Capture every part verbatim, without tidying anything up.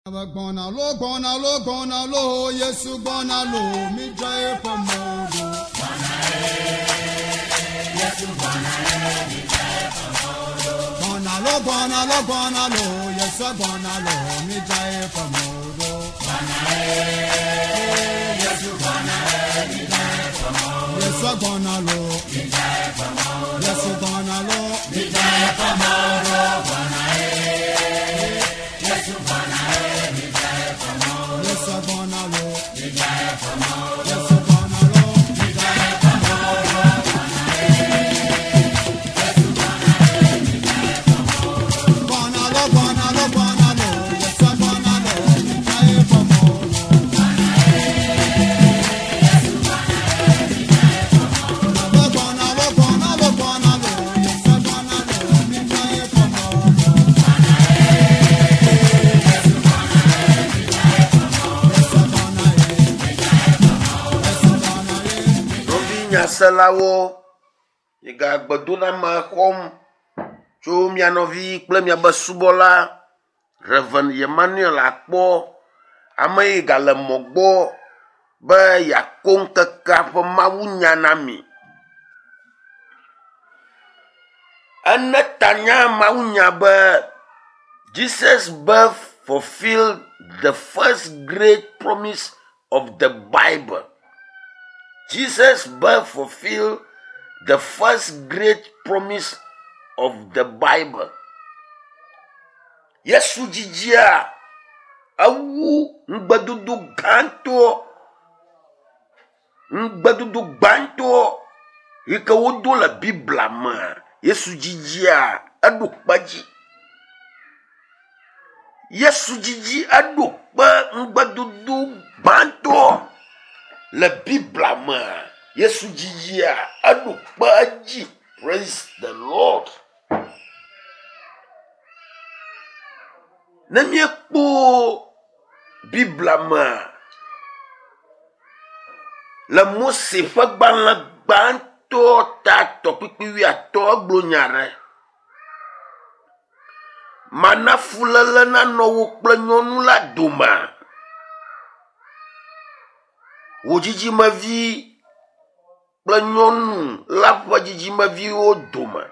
Gbɔna lo gbɔna lo gbɔna lo Yesu gbɔna lo mi dza eƒe mɔ ɖo. Gbɔna lo gbɔna lo gbɔna lo Yesu gbɔna lo mi dza eƒe mɔ ɖo. Yesu gbɔna lo Yesu gbɔna lo mi dza eƒe mɔ ɖo. Yesu gbɔna lo Yesu gbɔna lo mi dza eƒe mɔ ɖo. Gbɔna lo gbɔna lo gbɔna lo Yesu gbɔna lo mi dza eƒe mɔ ɖo. Gbɔna lo gbɔna lo gbɔna lo Yesu gbɔna lo mi dza eƒe mɔ ɖo. Yesu gbɔna ye Yesu gbɔna ye. Nɔvi nyaselawo, migagbedoname xɔm tso mia nɔvi kple miabe subɔla Reverend Emmanuel akpɔ ame yi gale mɔ gbɔ be yeako ŋkekea ƒe mawunya na mi. Ene tanya mawunya be Jesus birth fulfilled the first great promise of the Bible. Jesus birth fulfilled the first great promise of the Bible. Yesu dzidzia ewu ŋugbedodo gãtɔ ŋugbedodo gbãtɔ yi ke wodo le Biblia mea, Yesu dzidzia eɖo kpe dzi. Yesu dzidzi eɖo kpe ŋugbedodo gbãtɔ le Biblia mea, Yesu dzidzia eɖo kpe edzi. Praise the Lord. Ne míekpɔ Biblia mea, le Mose ƒe gbalẽ gbãtɔ ta tɔkpikpi wuiatɔ̃ egblɔ nya ɖe. Mana fuléle nanɔ wò kple nyɔnu la dome. Wò dzidzimevi kple nyɔnu la ƒe dzidzimeviwo dome.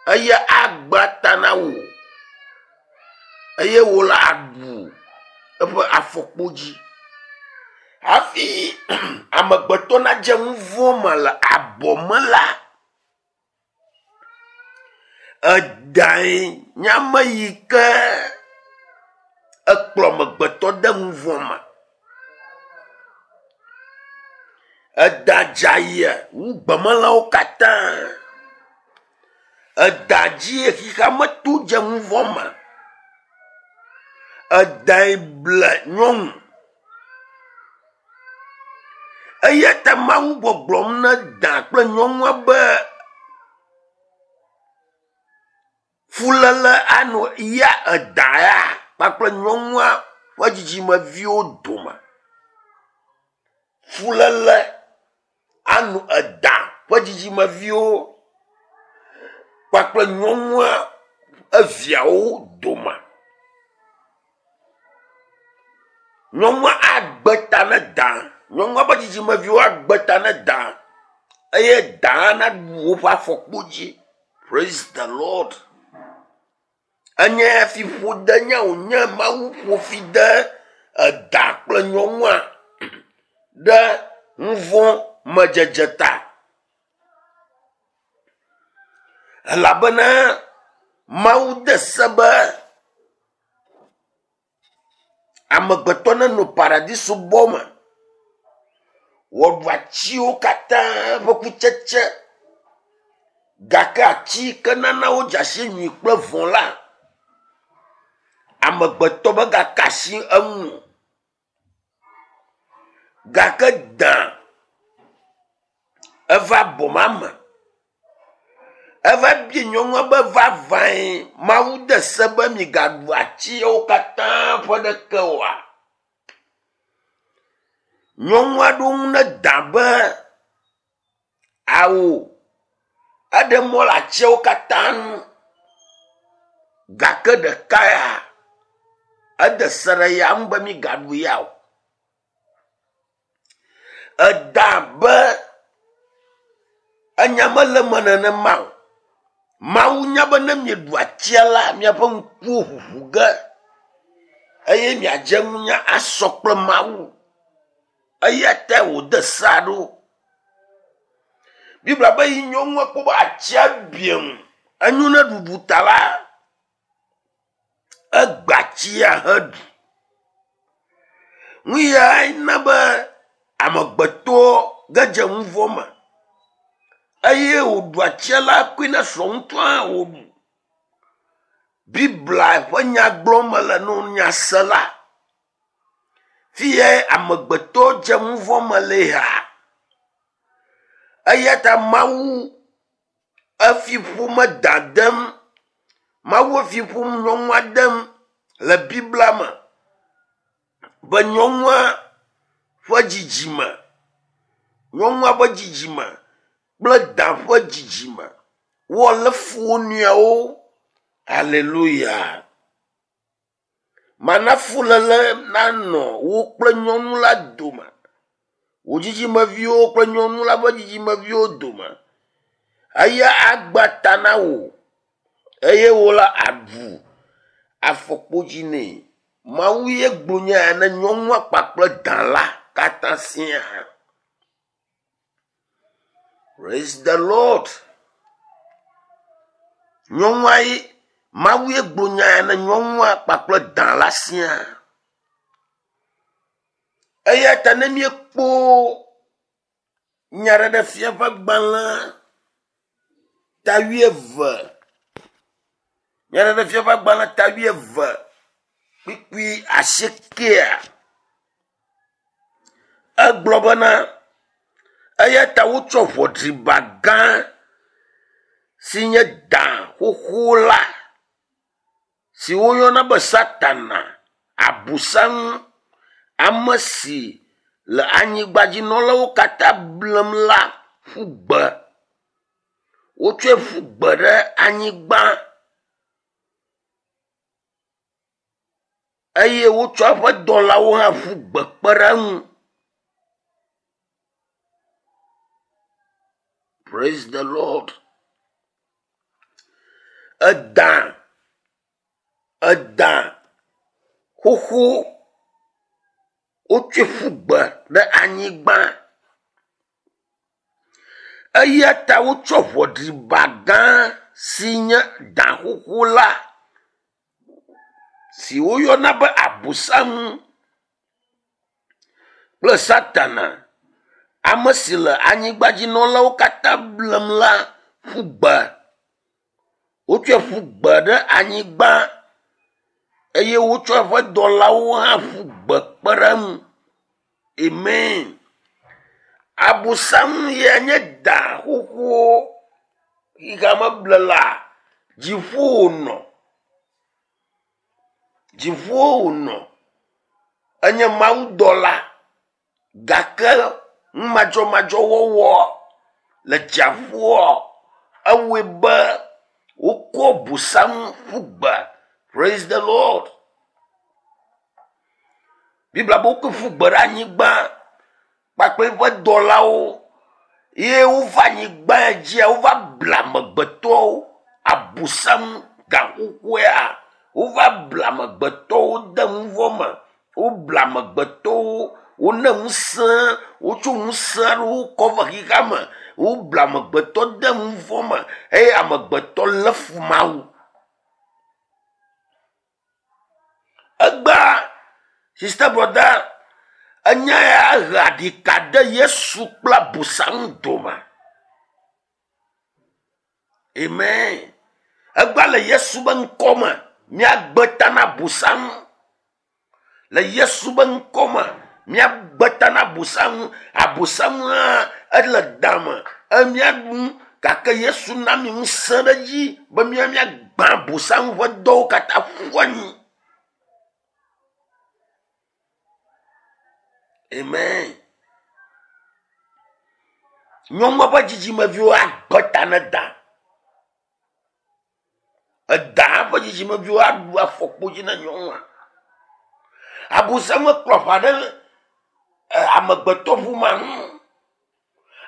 Eya agba ta na wò eye wò la aɖu eƒe afɔkpodzi. Hafi amegbetɔ nadze nu vɔ̃ me le abɔ me la, edae nye ame yi ke ekplɔ amegbetɔ de nu vɔ̃ me. Eda dze wu gbemelãwo katã. Eda dzie xexea me to dze nu vɔ̃ me. Edae ble nyɔnu. Eya ta Mawu gbɔgblɔm na da kple nyɔnua be fuléle anɔ ya eda ya kpakple nyɔnua ƒe dzidzimeviwo dome. Fuléle anɔ eda ƒe dzidzimeviwo kpakple nyɔnua eviawo dome. Nyɔnua agbe ta ne da. Nyɔnua ƒe dzidzimeviwo agbe ta ne da eye da naɖu woƒe afɔkpo dzi. Praise the Lord. Enye fiƒode nye wònye Mawu ƒo fi de eda kple nyɔnua ɖe nu vɔ̃ me dzedze ta. Elabena Mawu de se be amegbetɔ nenɔ paradiso bɔ me. Wòaɖu atiwo katã ƒe kutsetse gake ati yi ke nana wodze si nyui kple vɔ̃ la, amegbetɔ megaka asi eŋu o. Gake da eva abɔ ma me. Eva bia nyɔnua be vavãe Mawu de se be migaɖu atiwo katã ƒe ɖeke oa? Nyɔnua ɖo ŋu ne da be awo eɖe mɔ le atiawo katã ŋu gake ɖeka ya Ede se ɖe ya ŋu be migaɖu ya o. Eda be enya mele eme nenema o. Mawu nya be ne mieɖu atia la, miaƒe ŋkuwo ʋuʋu ge eye miadze nunya asɔ kple Mawu. Eya tae wòde sea ɖo. Biblia be yi nyɔnua kpɔ be atsia biã ŋu, enyo ne ɖuɖu ta la, egbe atsia heɖu. Nu yae na be amegbetɔ gedze nu vɔ̃ me eye wòɖu atsia la koe na srɔ̃ ŋutɔ hã wòɖu. Biblia ƒe nya gblɔm mele na nyasela. Fi yae amegbetɔ dze nu vɔ̃ me le ha. Eya ta Mawu efi ƒome dadem. Mawu efi ƒom nyɔnua dem le Biblia me be nyɔnua ƒe dzidzime, nyɔnua ƒe dzidzime kple da ƒe dzidzime woalé fu wo nɔewo. Hallelujah. Mana fuléle nanɔ wo kple nyɔnu la dome. Wò dzidzimeviwo kple nyɔnu la ƒe dzidzimeviwo dome. Eya agba ta na wò eye wò la aɖu afɔkpodzi nɛ. Mawu ye gblɔ nya ya ne nyɔnua kpakple da la katã siaa. Praise the Lord. Nyɔnua ye Mawu ye gblɔ nya ya ne nyɔnua kpakple da la siaa. Eya ta ne míekpɔ Nyaɖeɖefia ƒe agbalẽ ta wuieve, Nyaɖeɖefia ƒe agbalẽ ta wuieve kpukpui asiekɛa, egblɔ bena eya ta wotsɔ ʋɔdriba gã si nye da xoxo la si woyɔna be Satana, Abosam, ame si le anyigbadzinɔlawo katã blem la ƒu gbe. Wotsɔe ƒu gbe ɖe anyigba eye wotsɔ eƒe dɔlawo hã ƒu gbe kpe ɖe eŋu. Praise the Lord. Eda, eda xoxo wotsɔe ƒu gbe ɖe anyigba. Eya ta wotsɔ ʋɔdriba gã si nye da xoxo la si woyɔna be Abosam kple Satana, ame si le anyigbadzinɔlawo katã blem la ƒu gbe. Wotsɔe ƒu gbe ɖe anyigba eye wotsɔ eƒe dɔlawo hã ƒu gbe kpe ɖe eŋu. Amen. Abosam ya nye da xoxo xexeame blela dziƒo wònɔ. Dziƒo wònɔ. Enye mawudɔla gake numadzɔmadzɔwɔwɔ le dziaƒoa ewɔe be wokɔ Abosam ƒu gbe. Praise the Lord. Biblia be wokɔe ƒu gbe ɖe anyigba kpakple eƒe dɔlawo ye wova anyigba dzia wova ble amegbetɔwo. Abosam gaxoxoea wova ble amegbetɔwo de nu vɔ̃ me. Woble amegbetɔwo, wone ŋusẽ, wotso ŋusẽ aɖewo kɔ va xexea me. Woble amegbetɔ de nu vɔ̃ me eye amegbetɔ lé fu Mawu. Egbea, sister brother, enya ya he aɖika de Yesu kple Abosam dome. Amen. Egbea le Yesu be ŋkɔ me, míagbe ta na Abosam. Le Yesu be ŋkɔ me, míagbe ta na Abosam. Abosam hã ele dame, emiaɖu nu gake Yesu na mi ŋusẽ ɖe edzi be mía míagbã Abosam ƒe dɔwo katã ƒu anyi. Amen. Nyɔnua ƒe dzidzimeviwo agbe ta ne da. Eda ƒe dzidzimeviwo aɖu afɔkpodzi na nyɔnua. Abosam kplɔ aʋa ɖe amegbetɔƒomea ŋu.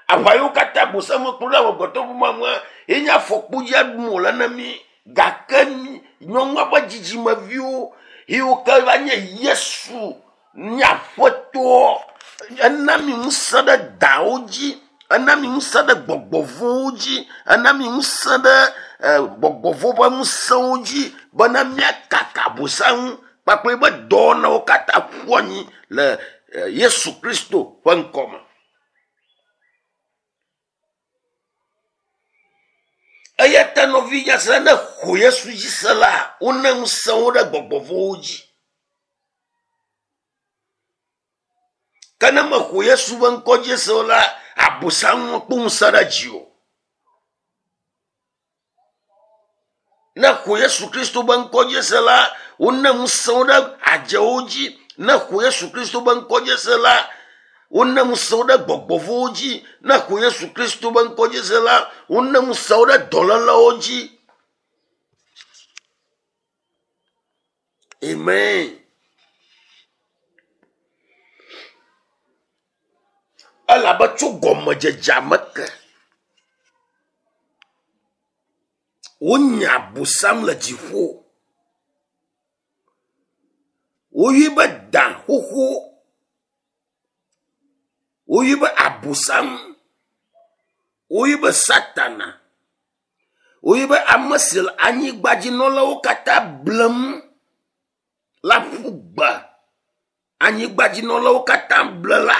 Aʋa yiwo katã abosam kplɔ ɖe amegbetɔƒomea ŋua, ye nye afɔkpodzi aɖum wòle na mí. Gake nyɔnua ƒe dzidzimeviwo yiwo ke va nye Yesu nye aƒetɔ, ena mi ŋusẽ ɖe dawo dzi, ena mi ŋusẽ ɖe gbɔgbɔvɔ̃wo dzi, ena mi ŋusẽ ɖe gbɔgbɔvɔ̃ ƒe ŋusẽwo dzi bena míakaka abosam kpakple eƒe dɔwɔnawo katã ƒu anyi le Yesu Kristo ƒe ŋkɔme. Eya ta nɔvi nyasela ne xɔ Yesu dzi se la, wona ŋusẽwo ɖe gbɔgbɔvɔ̃wo dzi. Ke ne mexɔ Yesu ƒe ŋkɔ dzi se o la, abosam kpɔ ŋusẽ ɖe dzi o. Ne xɔ Yesu Kristo ƒe ŋkɔ dzi se la, wona ŋusẽwo ɖe adzewo dzi. Ne xɔ Yesu Kristo ƒe ŋkɔ dzi se la, wona ŋusẽwo ɖe gbɔgbɔvɔ̃wo dzi. Ne xɔ Yesu Kristo ƒe ŋkɔ dzi se la, wona ŋusẽwo ɖe dɔlélewo dzi. Amen. Elabe tso gɔmedzedzea me ke, wonya abosam le dziƒo. Woyɔe be da xoxo. Woyɔe be abosam. Woyɔe be Satana. Woyɔe be ame si le anyigbadzinɔlawo katã blem la ƒu gbe. Anyigbadzinɔlawo katã ble la.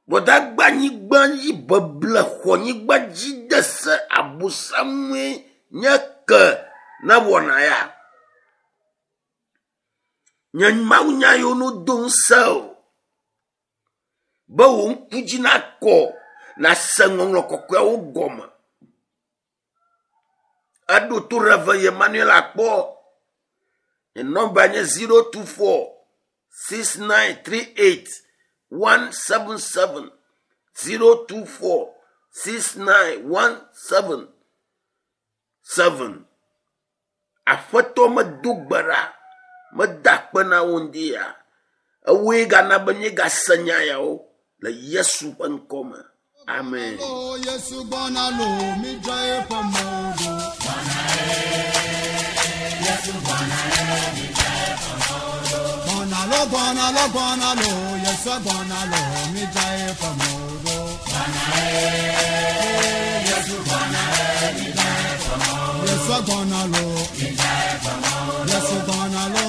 Gbɔdagba anyigba dzi beble xɔ anyigba dzi de se abosamue nye ke ne wɔna ya. Nye mawunya yiwo no do ŋusẽ o. Be wò ŋku dzi nakɔ, nase ŋɔŋlɔ kɔkɔeawo gɔme. Eɖo to Reverend Emmanuel akpɔ. Nye nɔmba nye zero two four six nine three eight one seven seven zero two four six nine one seven seven. Aƒetɔ medo gbe ɖa, meda akpe na wo ŋdi ya. Ewoe gana be míegase nya yawo le Yesu ƒe ŋkɔ me. Amen. Lo Yesu gbɔna lo, mídzra eƒe mɔ ɖo. Gbɔna lo, gbɔna lo, gbɔna lo, Yesu gbɔna lo, mídzra eƒe mɔ ɖo. Yesu gbɔna lo, Yesu gbɔna lo,